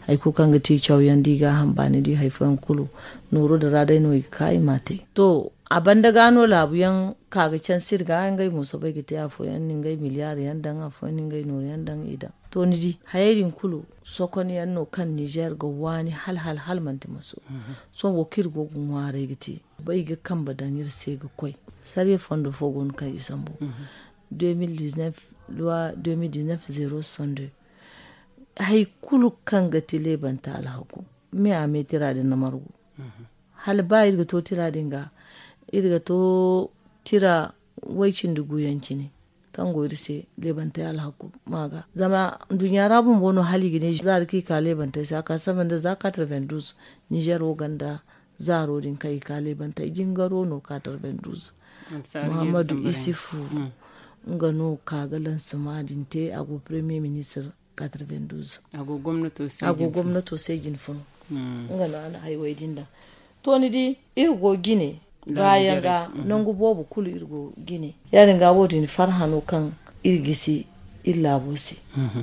Hari kulu kaŋ ga ti cawyaŋ da i ga a hamba ni di hari fooyaŋ kulu nooro din ra day no i ga ka i ma a te. To, A banda ga no laabu yaŋ ka ga canse iri ga ngey mo soobay ga te afooyaŋ na ngey miliyaari yaŋ daŋ afooyaŋ na ngey nooru yaŋ daŋ i daŋ. To ni di hayey din kulu sokon yaŋ no kaŋ nizeer ga waani hala hala hala manti maso. Sohõ wo kaŋ iri go ga ŋwaaray ga te bay ga kambe daŋ iri se ga koy. Sarye fondo fo go no kaŋ i sambu deux mille dix-neuf, loi deux mille dix-neuf zéro soixante-deux. Hari kulu kaŋ ga ti leebanta alhaku me a me tira din na margu. Hala ba iri ga to tira din ga iri ga to tira way cindi guyaŋ cine kaŋ go iri se leebantey alhaku ma ga zama nduɲɲa ra bumbo no hala i ga ne zaari kaŋ i ka leebantey se a ka saba nda za quatre-vingt-douze. Nizeer wo ganda zaaro din kaŋ i ka leebantey jingaro no quatre-vingt-douze. Muhammadu isifu nga no ka ga lansama din te a go premier ministre. Quatre-vingt-douze a go gomnato se jin funu. Nga no a na hayway din daŋ. To ni di iri go jine baayaŋ ga nangu boobo kulu iri go jine. Ya- din ga wo- din farhano kaŋ iri gisi iri laabo se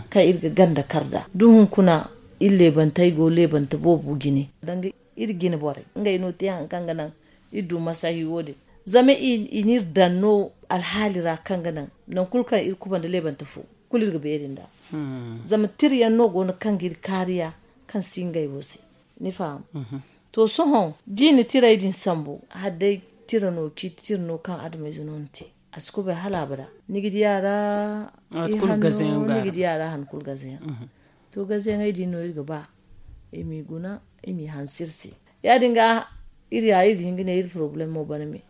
kaŋ iri ga ganda kar da da hunkuna iri leebantey go leebanta boobo jine danga iri jine borey ngey no te hari kaŋ ga naŋ iri du masahi wo- din. Zama i n'iri daŋ no alhaali ra kaŋ ga naŋ naŋ kulu kaŋ iri kubanda leebanta fo kulu iri ga beeri nd'a. Zama tira yaŋ no go no kaŋ ga iri kaariya kaŋ si ngey wo se. Ni faham? To sohõ da i na tirey din sambu hala day tira no ciiti tira no kaŋ adamayze no ni te a si kubay hala abada. Ni ga di a ra i hanno ni ga di a ra han kulu gaze yaŋ. To gaze yaŋey din no iri ga ba i m'i guna i m'i hanse iri se. Ya- din ga iri ya iri ga hin ga ne iri porobalem mo bana me.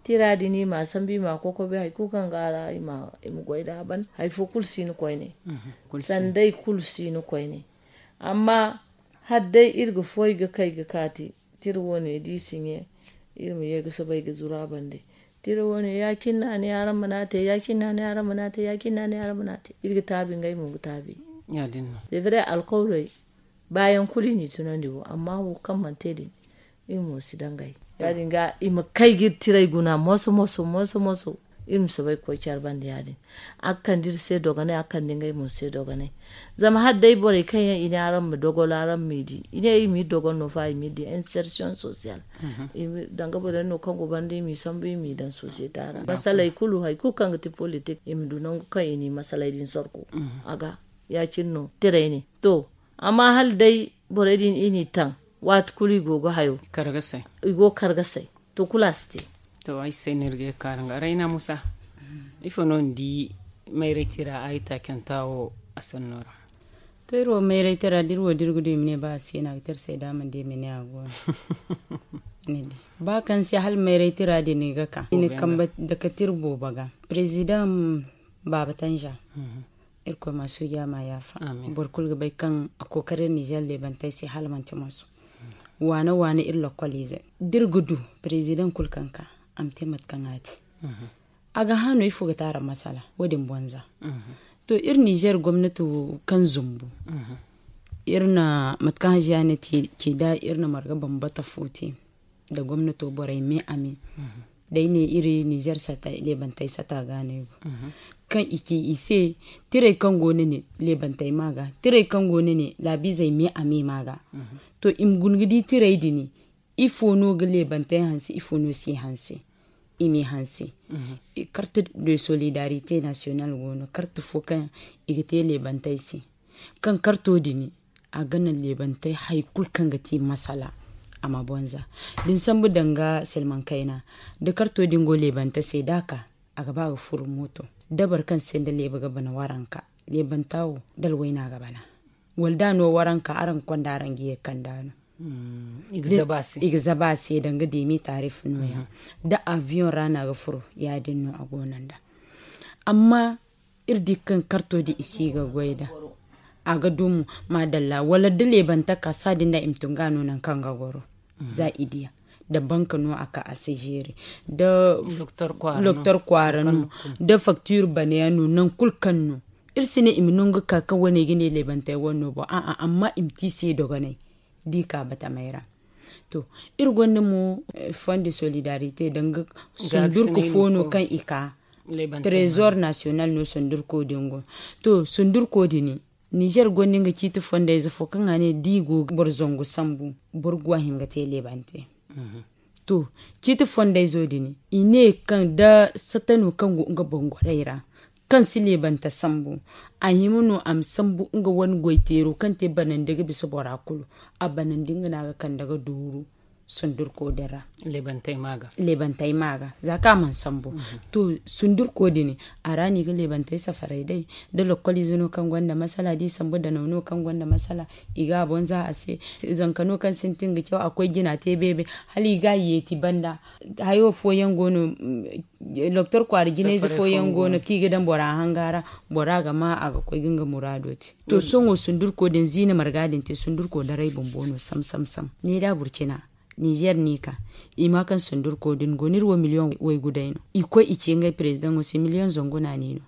Tira din i m'a sambu i m'a kokobe hari kulu kaŋ go a ra i ma goy nd'a ban hari fo kulu si ni koyne. Sanday kulu si ni koyne. Amma hala day iri ga foy ga kay ga kaati tira wo- ne da i si ɲe iri ma ye ga soobay ga zuru a bande. Tira wo- ne ya- cine no a ne araŋ mana te ya- cine no a ne araŋ mana te ya- cine no a ne araŋ mana te iri ga taabi ngey mo ga taabi. C'est vrai alkawley baayaŋ kulu i n'i tunandi wo amma wo kaŋ mana te din iri mo si dangay. Ya- din ga i ma kay ga iri tirey guna moso moso moso moso iri ma soobay ga koy care bande ya- din. A ga kande iri se dogonay a ga kande ngey mo se dogonay. Zama hala day borey kaŋ yaŋ i ne araŋ ma dogol araŋ m'i di i ne iri m'i dogol no fa i m'i di insertion social. Danga borey no kaŋ go banda i m'i sambu i m'i daŋ societa ra masaley kulu hari kulu kaŋ ga ti politik i ma du nangu kaŋ i n'i masaley din sorko. A ga ya- cine no tirey ne to. Amma hala day borey din i n'i taŋ waati kulu i go ga hayo i go ga kar ga say. To kulu a si te. To ay se no iri ga ye ga kaara nga rayna musa ifo no ni di mayray tira a ay taacanta wo a sanno ra? To iri wo mayray tira da iri wo da iri ga du i ma ne ba a si no a ga te iri se da a mana di i ma ne a go no. Ba kaŋ se hala mayray tira din i ga ka i na kambe dake tira boobo ga. President baaba tanja irkoy ma suuja ma yaafa. Boro kulu ga bay kaŋ a kookari iri nizeer leebantey se hala manti moso. Waana waana iri lokoliizey da iri ga du president kulu kaŋ ka a ma te mate kaŋ a te. A ga hã no ifo ga te araŋ masala wo- din bonza. To iri nizeer gomnati wo kaŋ zumbu iri na mate kaŋ haziya ne ci da iri na marga bambata fo te nda gomnato borey me a me. Day ne iri nizeer sata leebantey sata ga no ay go kaŋ i ci i se tirey kaŋ go no ne leebantey ma ga tirey kaŋ go no ne laabiizey me a me ma ga. To i ma guna ga di tirey din ifo no ga leebantey hanse ifo no si hanse? I m'i hanse. Carte de solidarité nationale go no carte fo kaŋ i ga te leebantey se. Kaŋ karto din a ga naŋ leebantey hari kulu kaŋ ga ti masala a ma bonza. Da ni sambu danga silmaŋ kayna da karto din go leebante se da a ka a ga ba ga furo mooto. Da boro kaŋ se nda leeba ga bana waranka leebanta wo da alwayna ga bana. Wala da a no waranka araŋ ga konda araŋ ga ye ga kand'a no. I ga zaba a se danga deemi taarif no- ya da aviyoŋ ra no a ga furo ya- din no a go no nd'a. Amma iri di kaŋ karto din i si ga goy nd'a a ga dumo maadalla wala da leebanta ka saadin da i ma tun ga no nangu kaŋ ga goro. Za i diya da banka no a ka a si zeeri da loktor kwaara no da faktiir bana yaŋ no nangu kulu kaŋ no. Iri si ne i ma nangu ga ka kaŋ wane ga ne leebantey wane no boŋ a'a amma i ma te i se dogonay da i ka batamey ra. To iri gonda mo fond de solidarité danga sundurku fo no kaŋ i ka trésor national no sundurko din go. To sundurko din nizer gonda nga ciiti fondayze fo kaŋ a ne da i go ga boro zangu sambu boro ga a hima ga te leebante. To, ciiti fondayzo din i ne kaŋ da satano kaŋ go nga boŋ goray ra, kaŋ si leebanta sambu, a hima no a ma sambu nga wane goyteero kaŋ te banandi ga bisa bora kulu. A banandi nga no a ga kande ga duuru sundurko din ra. Leebantey ma ga. Za kaŋ a mana sambu. To, sundurko din, a ra no i ga leebantey safaray day. Da lokkoliize no kaŋ gonda masala da i sambu danaw no kaŋ gonda masala, i ga a boŋ za a se. Zanka no kaŋ sintin ga caw a koy jina te beebe, hala i ga a yeeti banda. Hayo fooyaŋ go no. Doktor kwaara jinayze fooyaŋ go no kaŋ i ga daŋ bora hanga ra, bora ga ma a ga koy ga nga muraado te. To, sohõ sundurko din ziina marga din te sundurko daray bumbo no sam sam sam. Ni da burcina, nizer no i ka, i ma kaŋ sundurko din go no iri wo miliyoŋ waygu day no. I koy i ce ngey perezidaŋo se miliyoŋ zangu no a ne no.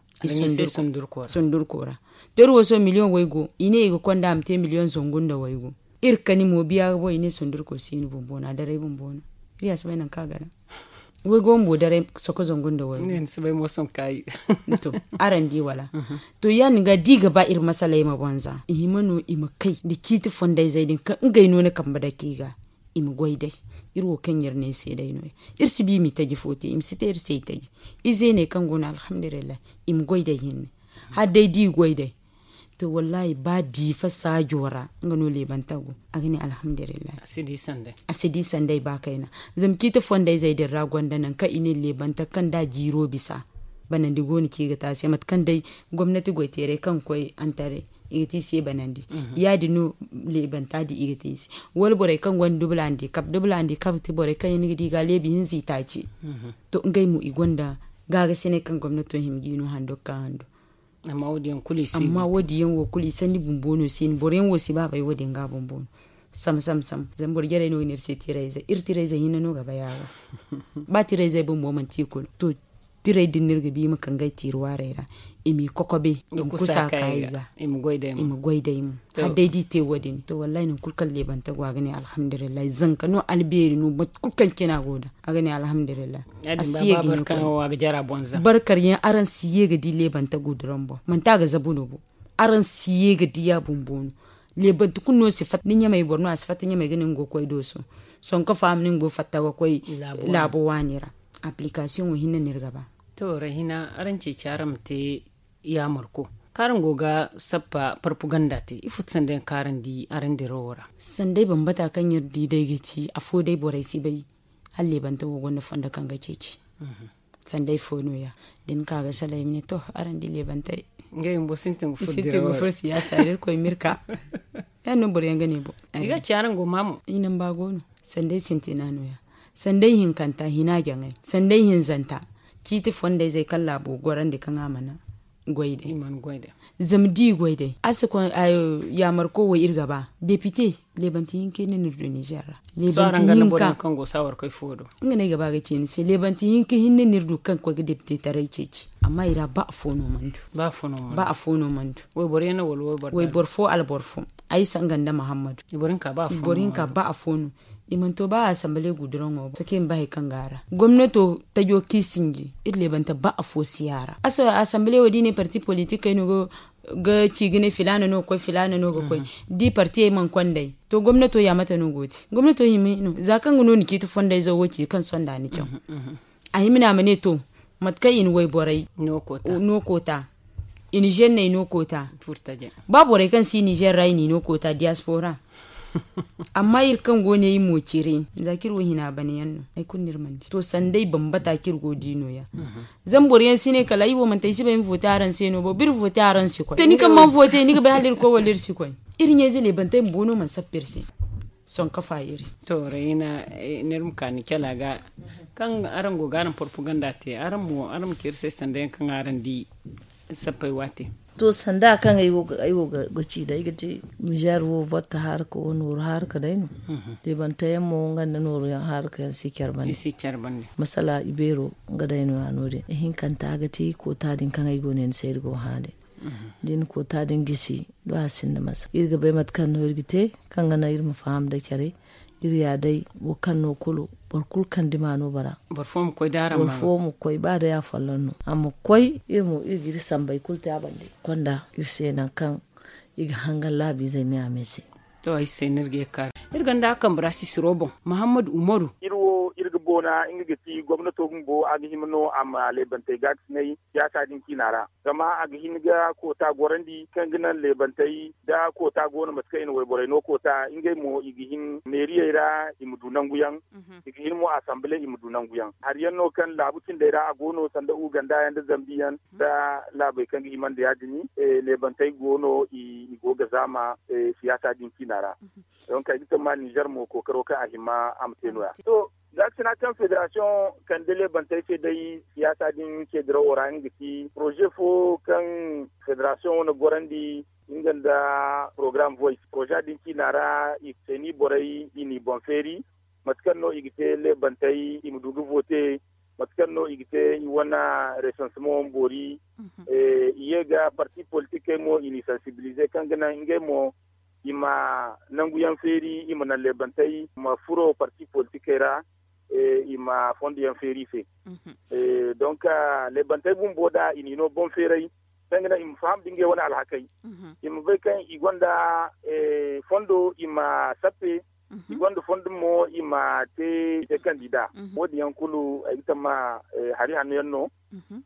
Sundurko ra. To, iri wo sohõ miliyoŋ waygu i ne i ga konda a ma te miliyoŋ zangu nda waygu. Iri kani mo biya ga boŋ i ne sundurko si no bumbo no a daray bumbo no. Iri ya si bay nangu kaŋ a gana. Waygo bumbo daray soko zangu nda waygu. To, araŋ di wala? To, ya- din ga da i ga ba iri masaley ma boŋ za i hima no i ma kay nda ciiti fondayzey din kaŋ ngey no ni kambe dake i ga. I ma goy day. Iri wo kaŋ iri ne se day no- ya iri si ba i ma i taji fo te i ma si te iri se i taji. Ize ne kaŋ go no alhamdulillahi, i ma goy day hinne. Hala day da i goy day. To, wallahi ba diifa saajo ra nga no leebanta go. A ga ne alhamdulillahi. A si di sanday ba kayna. Zama ciiti fondayzey din ra gonda nangu kaŋ i ne leebanta kaŋ da jiiro bisa. Banandi go no kaŋ i ga te a se mate kaŋ day gomnati goyteeray kaŋ ga koy antaray, i ga te i se banandi. Ya- din no leebanta din i ga te i se. Wala borey kaŋ gonda dubula handikab dubula handikab ti borey kaŋ yaŋ ni ga di i ga a leebi hinza i taaci. To, ngey mo i gonda gaagasinay kaŋ gomnato hima ga i no hando ga ka hando. Amma wo- din yaŋ wo kulu i sanni bumbo no si no boro yaŋ wo si ba bay wo- din ga bumbo no. Sam sam sam zama boro jarey no ga ne iri se tirayze iri tirayze hinne no ga bay a ga. Ba tirayze bumbo manti i kulu to, tiray din no iri ga ba i ma kangay tiiri waarey ra. I m'i kokobe i ma kusa ka i ga. I ma goy day mo. Hala day da i te wo- din to wallahi nangu kulu kaŋ leebanta go a ga ne alhamdulillahi zanka no albeeri no mate kulu kaŋ cina go da. A ga ne alhamdulillahi. A si ye ga hin koy. Barkar yaŋ araŋ si ye ga di leebanta guduran boŋ manti a ga zabu no bo. Araŋ si ye ga di ya bumbo no. Leebanta kulu no si fatta ni ɲamay boro no a si fatta ɲamay ga ne nga go ga koy dooso. Sonko faama ne nga go fatta ga koy laabo waani ra. Application wo hinne no iri ga ba. To rahina araŋ ceeci araŋ ma te yaamarko kaŋ araŋ go ga sappa parpaganda te ifo ti sanda yaŋ kaŋ araŋ di araŋ dirawo ra? Sanday bambata kaŋ iri di day ga ci afo day borey si bay. Hala leebanta wo gonda fondo kaŋ ga ceeci. Sanday fo no- ya da ni ka ga salaŋ i ma ne to araŋ di leebantey. Ngey bumbo sintin ga furo siyaasa da irkoy ma iri ka. Ya- din no boro yaŋ ga ne boŋ. I ga ci araŋ go ma mo i namba go no. Sanday sintina no- ya sanday hinkanta hina jaŋay sanday hinzanta. Ciiti fondayzey kaŋ laabo gorandi kaŋ a mana goy day. Zama da i goy day a si koy yaamarko wo iri ga ba depite. Leebanti hinka hinne no iri du nizer ra. Leebanti hinka hinne no iri ga ba ga ci ni se leebanti hinka hinne no iri du kaŋ ga koy ga depite taray ceeci amma i ra ba afo no mana du. Ba afo no mana du. Wayboro fo alboro fo. Ay sanga nda muhammadu. I boro hinka ba afo no. I mana to ba asambale guduraŋo boŋ soke ma ba hari kaŋ go a ra gomnato tajo kaŋ i sinji iri leebanta ba afo si ya ra. Asambale wo da i ne parti politikey no ga ci ga ne filaana no ga koy filaana no ga koy. Da i partiyey mana konda ay to gomnato ya mate no go te? Gomnato hima no za kaŋ ga no ni ciiti fondayzo wo ci kaŋ sonda ni caw. A hima ne a ma ne to mate kaŋ i na wayborey no koota i na zenney no koota. Ba borey kaŋ si nizer ra i n'i no koota diyaspora. Amma iri kaŋ go ne iri mo cire za kaŋ iri wo hina bana yaŋ no hari kulu no iri mana di to sanday bambata kaŋ iri go ga di no- ya. Zama boro yaŋ si ne kala ay wo manti ay si bay ay ma vote araŋ se no bo ba iri vote araŋ si koy te ni kaŋ mana vote ni ga bay hala iri koy wala iri si koy. Iri ɲayze leebantey bumbo no mana sappa iri se. Sohõ kafa iri. To rayna ni iri ma ka ni cala ga kaŋ araŋ go ga araŋ propaganda te araŋ mo araŋ ma ci iri se sanda yaŋ kaŋ araŋ di. Sappey waate. To sanda kaŋ ay wo ga ci day ay ga te nizer wo votte harka wo nooru harka day no. Leebante yaŋ mo nga nda nooru yaŋ harka yaŋ si care bande. Masala ibeero nga day no- ya no- din ihinkanta ga te koota din kaŋ ay go ne ni se iri go hã day. Da i na koota din gisi do a sinda masa iri ga bay mate kaŋ no iri ga te kaŋ ga naŋ iri ma faham da care. Iri ya day wo kaŋ no kulu boro kulu kaŋ dima no bara. Boro fo ma koy ba day afolloŋ no a ma koy iri mo iri ga iri sambey kulu te a bande konda iri se nangu kaŋ i ga hangan laabiizey me a me se. To ay se no iri ga ye ga kaara iri ganda a kambe ra sisiro boŋ mahammadu umaru. Iri wo iri ga Koona nga ga ti gomnato bumbo a ga hima no a ma leebantey gaakasinay siyaasa din ciina ra. Zama a ga hin ga koota gorandi kaŋ ga naŋ leebantey da koota go no mate kaŋ i na wayborey no koota ngey mo i ga hin meeriyey ra i ma du nangu yaŋ. I ga hin mo asamble i ma du nangu yaŋ hari yaŋ no kaŋ laabu cindey ra a go no sanda uganda yaŋ nda zambi yaŋ nda laabey kaŋ ga himandi ya- din. Leebantey go no i go ga zaama siyaasa din ciina ra. Donc ay ga tammaani nizer mo kookaro kaŋ a hima a ma te no- ya. Gaakasina kaŋ federasiyoŋ kande leebantey se day siyaasa din ceedirawo ra nga ga ti poroze fo kaŋ federasiyoŋ wane gorandi nga nda porogaram voice poroze din ciina ra i seeni borey i n'i boŋ feeri. Mate kaŋ no i ga te leebantey i ma du ga vote mate kaŋ no i ga te i wane resansement wane boori. I ye ga parti politikey mo i n'i sansibilize kaŋ ga naŋ ngey mo i ma nangu yaŋ feeri i ma naŋ leebantey ma furo parti politikey ra. I ma fondo yaŋ feeri i se. Donc leebantey bumbo da i n'i no boŋ feeray kaŋ ga naŋ i ma faham da ngey wane alhakey i ma bay kaŋ i gonda fondo i ma sappe. I gonda fondo mo i ma te kandida. Wo- din yaŋ kulu ay ga tamma hari hanno yaŋ no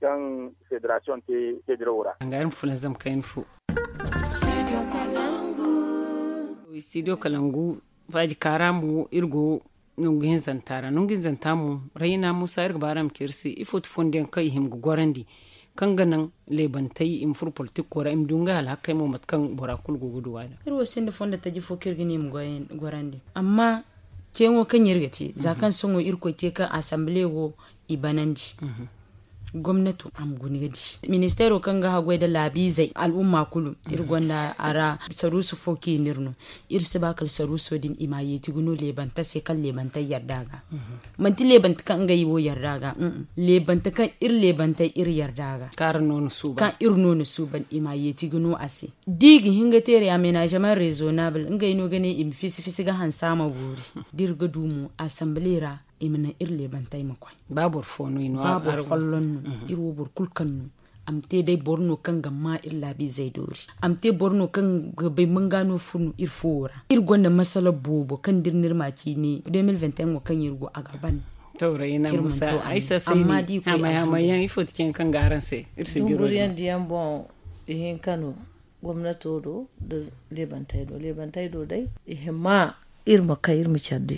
kaŋ federasiyoŋ te teedirawo ra. Anga iri ma fulanzam kayna fo. Studio kalangu faaji kaara mo iri go nangu hinzanta ra nangu hinzanta mo rayna musa iri ga ba araŋ ma ci iri se ifo ti fondo yaŋ kaŋ i hima ga gorandi kaŋ ga naŋ leebantey i ma furo politiko ra i ma du ngey alhakey mo mate kaŋ bora kulu go ga du a da. Iri wo sinda fondo taji fo kaŋ iri ga ne i ma gorandi amma ceeŋo kaŋ iri ga te za kaŋ sohõ irkoy te kaŋ asambile wo i banandi. Gomnato a ma guna ga di ministeero kaŋ ga haggoy nda laabiizey al'umma kulu iri gonda a ra saruusu fo kaŋ i n'iri no. Iri si ba kala saruuso din i m'a yeeti ga no leebanta se kaŋ leebantey yarda ga. Manti leebanta kaŋ ngey wo yarda ga. Leebanta kaŋ iri leebantey iri yarda ga kaŋ iri no na suuban i m'a yeeti ga no a se. Da i ga hin ga teeray amenazeman rezonabul ngey no ga ne i ma fisi fisi ga hanse a ma boori. Da iri ga du mo asambile ra i ma naŋ iri leebantey ma koy. Ba boro fo no i no ba boro folloŋ no. Iri wo boro kulu kaŋ no a ma te day boro no kaŋ ga ma iri laabiizey doori. A ma te boro no kaŋ ga bay manga no furo no iri fuwo ra iri gonda masala boobo kaŋ da iri n'iri ma ciine deux mille vingt et un wo kaŋ iri go a ga ban. Tawray ina musa ay sasay ni hamay hamay yaŋ ifo ti ceŋ kaŋ ga araŋ se iri si jiro. Dunguryandi yaŋ boŋ ihinka no gomnato do nda leebantey do leebantey do day i hima iri ma kay iri ma care di.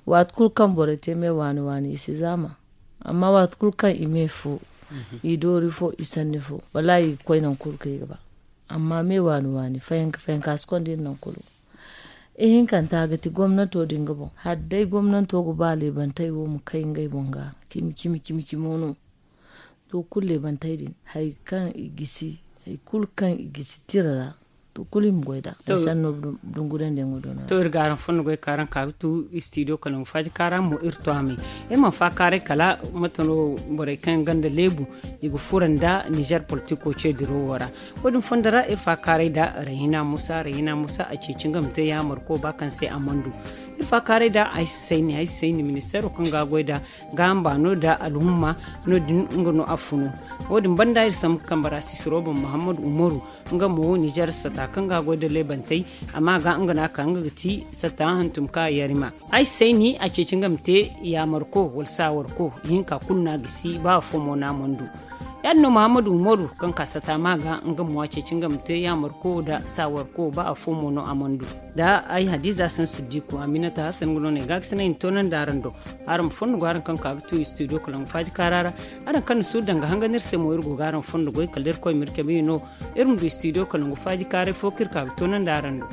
Waati kulu kaŋ borey te me waani waani i si zaama amma waati kulu kaŋ i me fo i doori fo i sanni fo wallaahi i ga koy nangu kulu kaŋ i ga ba. Amma me waani waani fayanka fayanka si konda iri nangu kulu. Ihinkanta ga ti gomnato din ga boŋ hala day gomnato ga ba leebantey wo ma kay ngey boŋ ga cimi cimi cimo no. To kulu leebantey din hari kaŋ i gisi hari kulu kaŋ i gisi tira ra to kulu i ma goy nd'a. Sanno dungurandi yaŋo do no. To iri ga araŋ fondo goy ka araŋ ka ga tu studio kala nga faaji kaara mo iri to a me. Iri mana faakaaray kala mate no borey kaŋ yaŋ gonda leebu i ga furo nda nizer politiko ce dirawo ra. Wo- din fondo ra iri faakaaray nda rayhina musa rayhina musa a ceeci nga ma te yaamarko ba kaŋ se a mana du. Iri faakaaray nda ay si sayni ay si sayni ministeero kaŋ ga a goy nda gaaham baano nda alhumma. No- din nga no a funu. Wo- din banda iri sambu kambe ra sisiro boŋ muhammadu umaru nga mo nizer sata kaŋ ga a goy nda leebantey a ma ga nga no a ka nga ga ti sata hantum ka yarima. Ay si sayni a ceeci nga ma te yaamarko wala saawarko ihinka kulu no a gisi ba afo mo no a mana du. Ya- din no muhammadu umaru kaŋ ka sata ma ga nga mo a ceeci nga ma te yaamarko nda saawarko ba afo mo no a mana du. Da ay hadiza sansiddiku aminata hasan nga no no ay ga a ga sinay ni toonandi araŋ do. Araŋ ma fondo go araŋ kaŋ ka ga tu studio kala nga faaji kaara ra. Araŋ kaŋ na suuru daŋ ga hangan iri se mo iri go ga araŋ fondo goy kala iri koy ma iri cabe no. Iri ma du studio kala nga faaji kaaray fo kaŋ iri ka ga toonandi araŋ do.